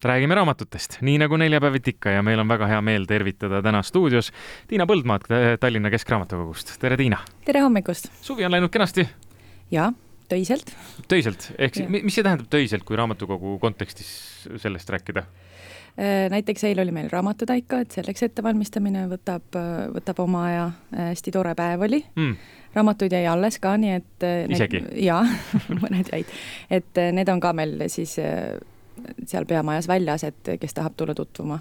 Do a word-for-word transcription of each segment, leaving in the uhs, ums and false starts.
Räägime raamatutest, nii nagu neljapäevit ikka ja meil on väga hea meel tervitada täna stuudios Tiina Põldmaad Tallinna Keskraamatukogust. Tere, Tiina! Tere hommikust! Suvi on läinud kenasti? Jaa, töiselt. Töiselt? Ehk ja. Mis see tähendab töiselt, kui raamatukogu kontekstis sellest rääkida? Näiteks eil oli meil raamatutaika, et selleks ettevalmistamine võtab, võtab oma aja. Hästi tore päev oli. Mm. Raamatuid jäi alles ka, nii et... Isegi? Need, jaa, mõned jäid. Et need on ka meil siis... seal peamajas väljas, et kes tahab tulla tutvuma.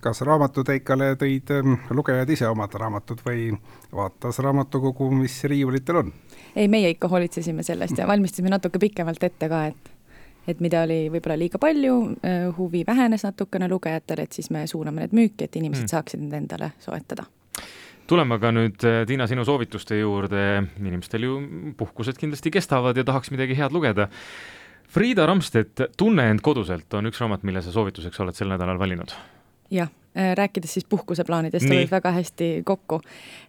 Kas raamatuteikale tõid lugejad ise omad raamatud või vaatas raamatukogu, mis riiulitel on? Ei, meie ikka hoolitsesime sellest ja valmistasime natuke pikemalt ette ka, et, et mida oli võib-olla liiga palju, huvi vähenes natukene lugejatele, et siis me suuname need müüki, et inimesed hmm. saaksid need endale soetada. Tuleme aga nüüd, Tiina, sinu soovituste juurde. Inimestel ju puhkused kindlasti kestavad ja tahaks midagi head lugeda. Friida Ramstedt, Tunne end koduselt on üks raamat, mille sa soovituseks oled sel nädalal valinud. Jah, rääkides siis puhkuseplaanidest, olid väga hästi kokku.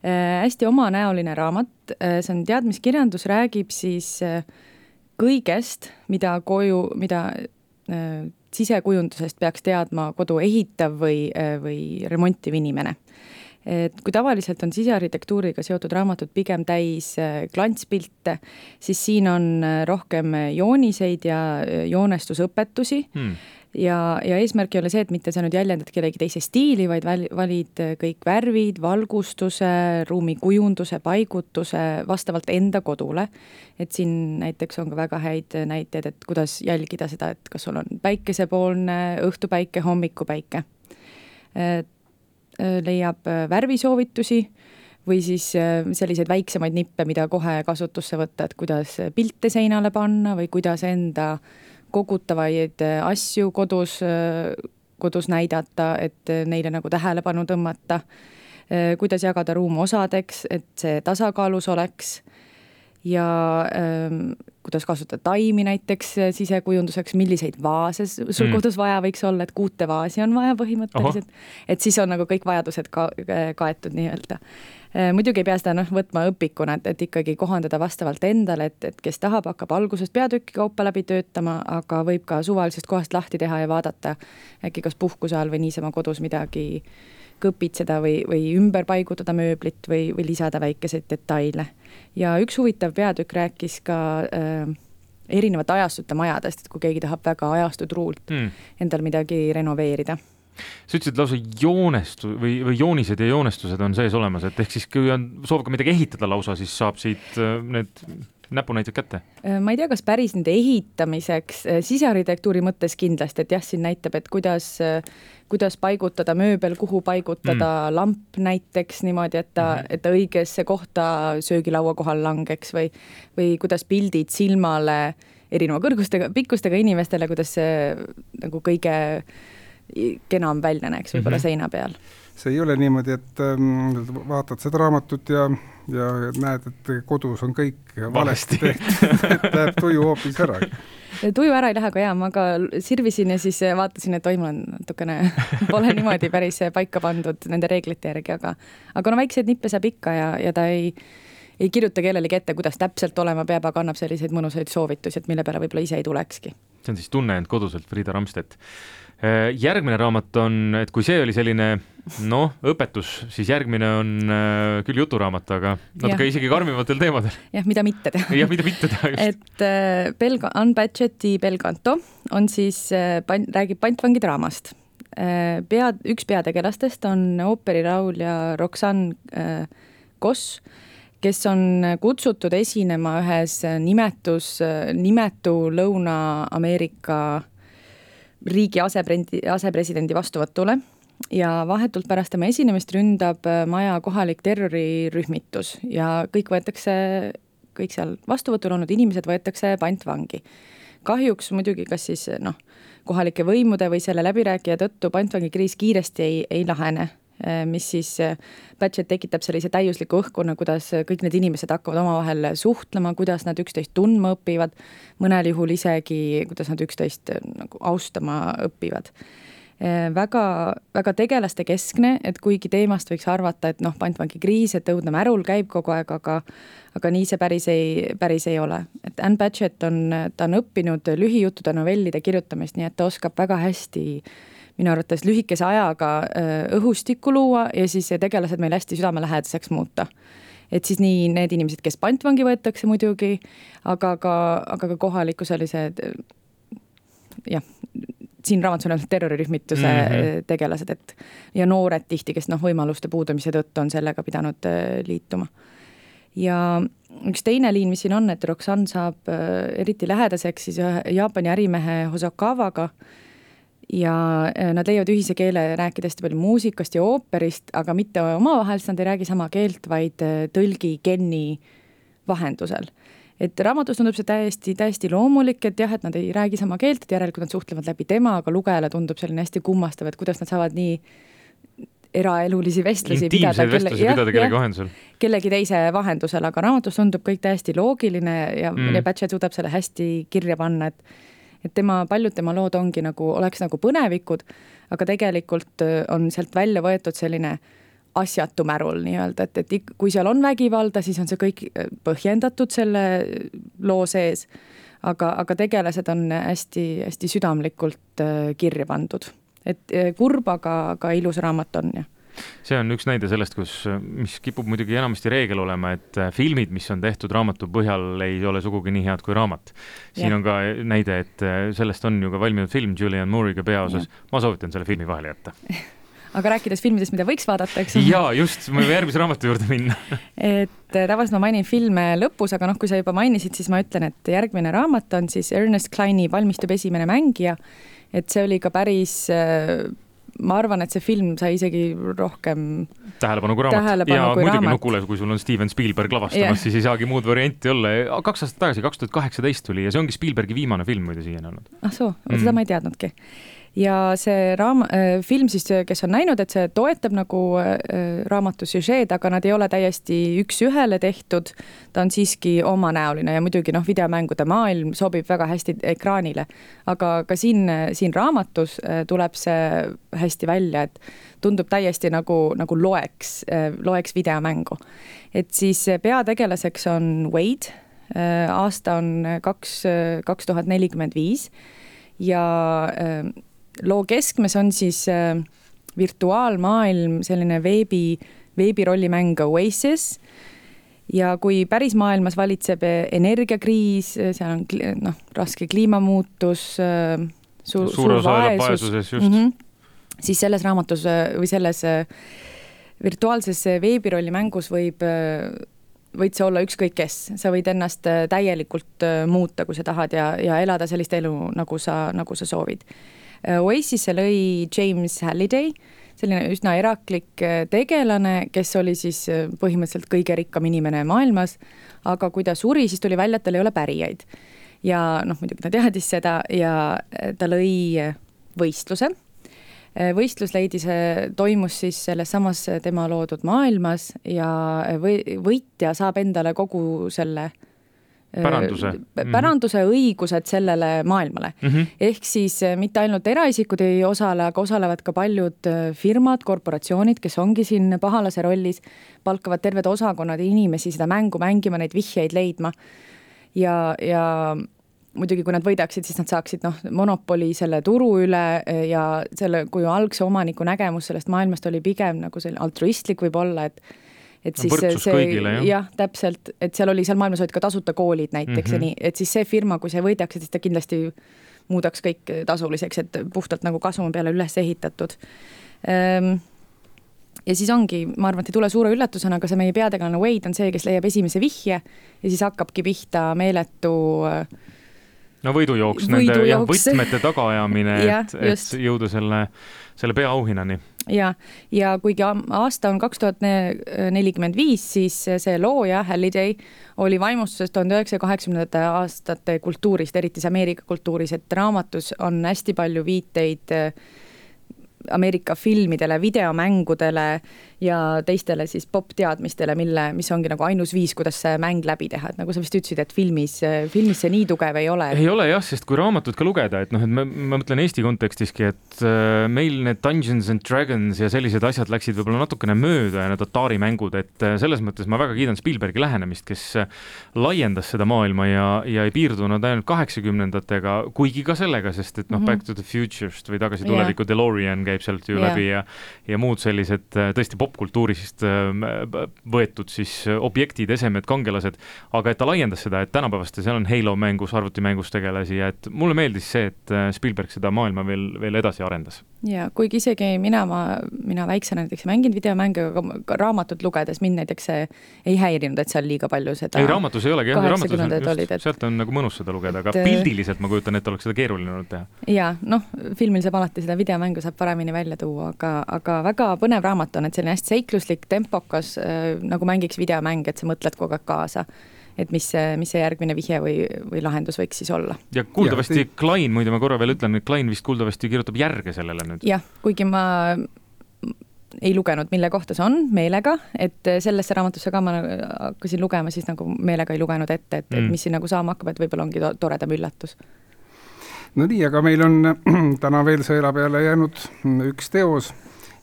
Äh, hästi omanäoline raamat, see on teadmiskirjandus, räägib siis kõigest, mida koju, mida äh, sisekujundusest peaks teadma kodu ehitav või, või remontiv inimene. Et kui tavaliselt on sisearhitektuuriga seotud raamatud pigem täis klantspilte, siis siin on rohkem jooniseid ja joonestusõpetusi hmm. ja, ja eesmärk ei ole see, et mitte sa nüüd jäljendad kellegi teise stiili, vaid valid kõik värvid, valgustuse, ruumi kujunduse, paigutuse vastavalt enda kodule. Et siin näiteks on ka väga häid näiteid, et kuidas jälgida seda, et kas sul on päikesepoolne, õhtupäike, hommikupäike. Et leiab värvisoovitusi või siis selliseid väiksemaid nippe, mida kohe kasutusse võtta, et kuidas pilte seinale panna või kuidas enda kogutavaid asju kodus, kodus näidata, et neile nagu tähelepanu tõmmata, kuidas jagada ruum osadeks, et see tasakaalus oleks ja ähm, kuidas kasutada taimi näiteks sisekujunduseks, milliseid vaase sul mm. kodus vaja võiks olla, et kuute vaasi on vaja põhimõtteliselt, Oho. Et siis on nagu kõik vajadused ka, kaetud nii-öelda. Muidugi ei pea seda noh, võtma õpikuna, et, et ikkagi kohandada vastavalt endale, et, et kes tahab, hakkab algusest peatükki kaupa läbi töötama, aga võib ka suvalisest kohast lahti teha ja vaadata äkki kas puhkuse all või niisama kodus midagi kõpitseda või, või ümber paigutada mööblit või, või lisada väikeseid detaile. Ja üks huvitav peatükk rääkis ka äh, erinevate ajastute majadest, et kui keegi tahab väga ajastud ruult mm. endal midagi renoveerida. Sa ütlesid lausa joonestu, või, või joonised ja joonestused on sees olemas, et ehk siis kui on soov ka midagi ehitada lausa, siis saab siit äh, need näpunäited kätte? Ma ei tea, kas päris nende ehitamiseks sisearhitektuuri mõttes kindlasti, et jah, siin näitab, et kuidas, kuidas paigutada mööbel, kuhu paigutada mm. lamp näiteks niimoodi, et ta, mm-hmm. et ta õigesse kohta söögilaua kohal langeks või, või kuidas pildid silmale erineva kõrgustega, pikkustega inimestele, kuidas see nagu kõige kenam välja näeks võib-olla mm-hmm. seina peal. See ei ole niimoodi, et ähm, vaatad seda raamatut ja, ja näed, et kodus on kõik valesti tehtud, et läheb tuju hoopis ära. Tuju ära ei lähe, aga jaa, ma ka sirvisin ja siis vaatasin, et toimul on natukene pole niimoodi päris paika pandud nende reeglite järgi, aga, aga no väikseid nippe saab ikka ja, ja ta ei, ei kirjuta kellelegi ette, kuidas täpselt olema peab, aga annab selliseid mõnusaid soovitusi, et mille peale võib-olla ise ei tulekski. See on siis Tunne end koduselt, Friida Ramstedt. Järgmine raamat on, et kui see oli selline noh, õpetus, siis järgmine on äh, küll juturaamat, aga natuke isegi karmimatel teemadel. Jah, mida mitte teha. Jah, mida mitte teha, just. Et äh, Belga, Unbudgeti Belcanto on siis, äh, pan, räägib pantvangi draamast. Äh, pea, üks peategelastest on ooperiraulja Roxanne äh, Koss, kes on kutsutud esinema ühes nimetus, nimetu Lõuna-Ameerika riigi asepresidendi, asepresidendi vastuvõtule ja vahetult pärast tema esinemist ründab maja kohalik terrorirühmitus ja kõik võetakse, kõik seal vastuvõtul olnud inimesed võetakse pantvangi. Kahjuks muidugi kas siis noh, kohalike võimude või selle läbirääkija tõttu pantvangi kriis kiiresti ei, ei lahene, mis siis Budget tekitab sellise täiusliku õhkuna, kuidas kõik need inimesed hakkavad omavahel suhtlema, kuidas nad üksteist tundma õpivad, mõnel juhul isegi, kuidas nad üksteist nagu austama õpivad. väga, väga tegelaste keskne, et kuigi teemast võiks arvata, et noh, pantvangi kriis, et õudne märul käib kogu aeg, aga aga nii see päris ei, päris ei ole. Et Ann Patchett on, ta on õppinud lühijuttude novellide kirjutamist, nii et ta oskab väga hästi minu arvates lühikese ajaga õhustikku luua ja siis tegelased meil hästi südamelähedaseks muuta. Et siis nii need inimesed, kes pantvangi võetakse muidugi, aga ka, aga ka kohaliku sellised jah, siin raamatus on terrorirühmituse mm-hmm. tegelased, et ja noored tihti, kes noh, võimaluste puudumise tõttu on sellega pidanud liituma. Ja üks teine liin, mis siin on, et Roxanne saab eriti lähedaseks siis Jaapani ärimehe Hosokawaga ja nad leiavad ühise keele rääkides palju muusikast ja ooperist, aga mitte omavahel, nad ei räägi sama keelt, vaid tõlgi Kenni vahendusel. Et raamatus tundub see täiesti, täiesti loomulik, et jah, et nad ei räägi sama keelt, et järelikult nad suhtlevad läbi tema, aga lugejale tundub selline hästi kummastav, et kuidas nad saavad nii eraelulisi vestlusi pidada, kelle, vestlusi jah, pidada kellegi vahendusel. Kellegi teise vahendusel, aga raamatus tundub kõik täiesti loogiline ja, mm. ja Patchett suudab selle hästi kirja panna, et, et tema, paljud tema lood ongi nagu, oleks nagu põnevikud, aga tegelikult on sealt välja võetud selline asjatu märul nii-öelda, et, et kui seal on vägivalda, siis on see kõik põhjendatud selle loo sees, aga, aga tegelased on hästi, hästi südamlikult kirja pandud. Et kurb, aga, aga ilus raamat on, jah. See on üks näide sellest, kus, mis kipub muidugi enamasti reegel olema, et filmid, mis on tehtud raamatu põhjal, ei ole sugugi nii head kui raamat. Siin ja. On ka näide, et sellest on ju ka valminud film Julianne Moore'iga peaosas. Ja. Ma soovitan selle filmi vahele jätta. Aga rääkides filmidest, mida võiks vaadata, eks? Jaa, just, ma võin järgmise raamatu juurde minna. et tavaliselt ma mainin filme lõpus, aga noh, kui sa juba mainisid, siis ma ütlen, et järgmine raamat on siis Ernest Cline'i Valmistub esimene mängija. Et see oli ka päris, ma arvan, et see film sai isegi rohkem tähelepanu kui raamat. Tähelepanu ja kui muidugi raamat. Nukule, kui sul on Steven Spielberg lavastamas, yeah. siis ei saagi muud varianti olla. Kaks aastat tagasi, kaks tuhat kaheksateist tuli ja see ongi Spielbergi viimane film muide siiani olnud. Ah soo, mm. seda ma ei teadnudki. Ja see raam, äh, film siis, kes on näinud, et see toetab nagu äh, raamatu süžeed, aga nad ei ole täiesti üks ühele tehtud. Ta on siiski omanäoline ja muidugi noh, videomängude maailm sobib väga hästi ekraanile. Aga ka siin, siin raamatus äh, tuleb see hästi välja, et tundub täiesti nagu, nagu loeks, äh, loeks videomängu. Et siis peategelaseks on Wade, äh, aasta on kaks, kaks tuhat nelikümmend viis ja äh, loo keskmes on siis äh, virtuaalmaailm, selline veebi, veebirollimäng Oasis ja kui päris maailmas valitseb energiakriis, seal on noh, raske kliimamuutus, äh, su, suur vaesus, just. Mm-hmm, siis selles raamatus või selles äh, virtuaalses veebirollimängus võib äh, võid see olla ükskõik kes, sa võid ennast täielikult muuta, kui sa tahad ja, ja elada sellist elu, nagu sa, nagu sa soovid. Oasisse lõi James Halliday, selline üsna eraklik tegelane, kes oli siis põhimõtteliselt kõige rikkam inimene maailmas, aga kui ta suri, siis tuli välja, et tal ei ole pärijaid. Ja noh, muidugi ta teadis seda ja ta lõi võistluse. Võistlus leidis, toimus siis selles samas tema loodud maailmas ja või, võitja saab endale kogu selle päranduse, päranduse õigused sellele maailmale. Mm-hmm. Ehk siis mitte ainult eraisikud ei osale, aga osalevad ka paljud firmad, korporatsioonid, kes ongi siin pahalase rollis, palkavad terved osakonnad inimesi seda mängu mängima, neid vihjeid leidma ja, ja muidugi, kui nad võidaksid, siis nad saaksid noh, monopoli selle turu üle ja selle, kui algse omaniku nägemus sellest maailmast oli pigem nagu selline altruistlik võib olla, et et siis võrdsus see, kõigile, jah. jah, täpselt, et seal oli, seal maailmas olid ka tasuta koolid näiteks mm-hmm. ja nii, et siis see firma, kui see võidaks, siis ta kindlasti muudaks kõik tasuliseks, et puhtalt nagu kasumi peale üles ehitatud. Ja siis ongi, ma arvan, et ei tule suure üllatusena, aga see meie peategelane Wade on see, kes leiab esimese vihje ja siis hakkabki pihta meeletu no võidujooks, nende jah, võtmete tagaajamine, et, et jõuda selle, selle peaauhinani. Ja, ja kuigi aasta on kaks tuhat nelikümmend viis, siis see looja Halliday oli vaimustuses tuhande üheksasaja kaheksakümnendate aastate kultuurist, eriti Ameerika kultuuris, et raamatus on hästi palju viiteid Ameerika filmidele, videomängudele ja teistele siis pop-teadmistele, mille, mis ongi nagu ainus viis, kuidas see mäng läbi teha, et nagu sa vist ütlesid, et filmis, filmis see nii tugev ei ole. Ei ole jah, sest kui raamatut ka lugeda, et noh, et ma, ma mõtlen Eesti kontekstiski, et meil need Dungeons and Dragons ja sellised asjad läksid võib-olla natukene mööda ja need Atari mängud, et selles mõttes ma väga kiidan Spielbergi lähenemist, kes laiendas seda maailma ja, ja ei piirdunud ainult kaheksakümnendatega, kuigi ka sellega, sest et noh, mm -hmm. Back to the Future'st või tagasi tuleviku yeah. DeLorean käib sealt ju yeah. läbi ja, ja muud sellised tõesti popkultuurist võetud siis objektid, esemed, kangelased, aga et ta laiendas seda, et tänapäevast seal on Halo mängus, arvutimängus tegelasi ja et mulle meeldis see, et Spielberg seda maailma veel, veel edasi arendas. Ja kuigi isegi mina, ma, mina väiksena näiteks mängin videomänge, aga ka raamatut lugedes mind näiteks ei häirinud, et seal liiga palju seda ei, raamatus ei olegi, jah, raamatus on just, olid, et, sealt on nagu mõnus seda lugeda, aga et, pildiliselt ma kujutan, et oleks seda keeruline olnud teha. Ja noh, filmil saab alati seda videomängu saab paremini välja tuua, aga, aga väga põnev raamat on, et selline hästi seikluslik, tempokas, äh, nagu mängiks videomäng, et sa mõtled kogu aeg kaasa, et mis see, mis see järgmine vihje või, või lahendus võiks siis olla. Ja kuuldavasti ja, Klein, muide ma korra veel ütlen, et Klein vist kuuldavasti kirjutab järge sellele nüüd. Jah, kuigi ma ei lugenud, mille kohta see on meelega, et sellesse raamatusse ka ma hakkasin lugema, siis nagu meelega ei lugenud ette, et, mm. et mis siin nagu saama hakkab, et võib-olla ongi to- toredam üllatus. No nii, aga meil on täna veel sõela peale jäänud üks teos,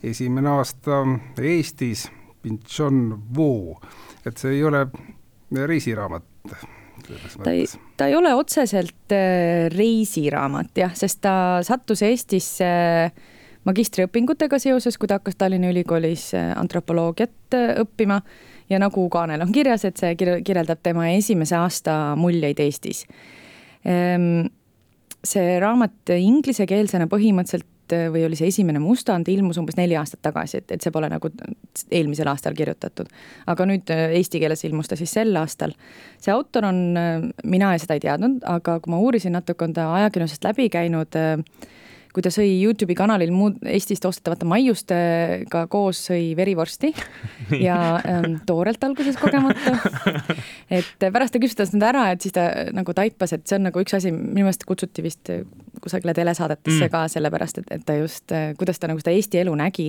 esimene aasta Eestis, Pinchon Wu, et see ei ole reisiraamat. Ta ei, ta ei ole otseselt reisiraamat, jah, sest ta sattus Eestisse magistriõpingutega seoses, kui ta hakkas Tallinna Ülikoolis antropoloogiat õppima ja nagu kaanel on kirjas, et see kirjeldab tema esimese aasta muljeid Eestis. See raamat inglisekeelsena põhimõtteliselt või oli see esimene mustand, ilmus umbes neli aastat tagasi, et, et see pole nagu eelmisel aastal kirjutatud. Aga nüüd eesti keeles ilmus ta siis sel aastal. See autor on, mina seda ei teadnud, aga kui ma uurisin natuke, on ta ajakirjandusest läbi käinud, kui ta sõi YouTube'i kanalil muud Eestist ostetavate maiustega koos sõi verivorsti ja ähm, toorelt alguses kogemata. Et pärast ta küsis nüüd ära, et siis ta nagu taipas, et see on nagu üks asi, minu meelest kutsuti vist kusagile telesaadetesse mm. ka sellepärast, et, et ta just, kuidas ta nagu seda Eesti elu nägi.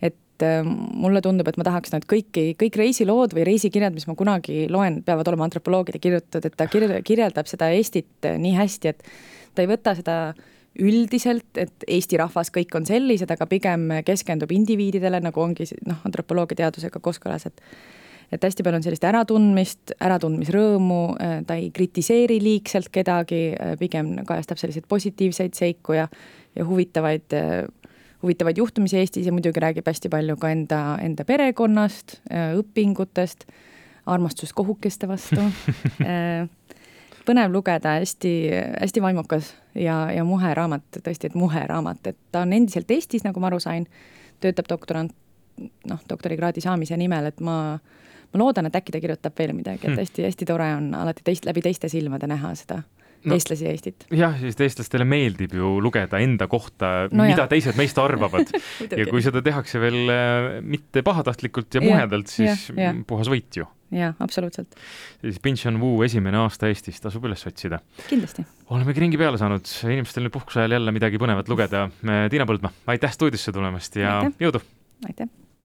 Et mulle tundub, et ma tahaks nüüd kõiki, kõik reisilood või reisikirjad, mis ma kunagi loen, peavad olema antropoloogide kirjutatud, et ta kirjeldab seda Eestit nii hästi, et ta ei võta seda üldiselt, et Eesti rahvas kõik on sellised, aga pigem keskendub indiviididele, nagu ongi noh, antropoloogia teadusega kooskõlas, et, et hästi palju on sellist äratundmist, äratundmisrõõmu, ta ei kritiseeri liigselt kedagi, pigem kajastab selliseid positiivseid seiku ja, ja huvitavaid, huvitavaid juhtumisi Eestis ja muidugi räägib hästi palju ka enda, enda perekonnast, õpingutest, armastust kohukeste vastu. Põnev lugeda, hästi, hästi vaimukas ja, ja muhe raamat, tõesti, et muhe raamat, et ta on endiselt Eestis, nagu ma aru sain, töötab doktorant, noh, doktorikraadi saamise nimel, et ma, ma loodan, et äkki ta kirjutab veel midagi, et hästi, hästi tore on alati teist, läbi teiste silmade näha seda no, eestlasi ja Eestit. Jah, siis eestlastele meeldib ju lugeda enda kohta, no mida jah. Teised meist arvavad. Ja kui seda tehakse veel mitte pahatahtlikult ja muhedalt, siis ja, ja. Puhas võit ju. Jaa, absoluutselt. Siis Pinchon Wu esimene aasta Eestis tasub üles otsida. Kindlasti. Olemegi ringi peale saanud. Inimestel nüüd puhkuse ajal jälle midagi põnevat lugeda. Tiina Põldma, aitäh stuudiosse tulemast ja aitäh. Jõudu! Aitäh!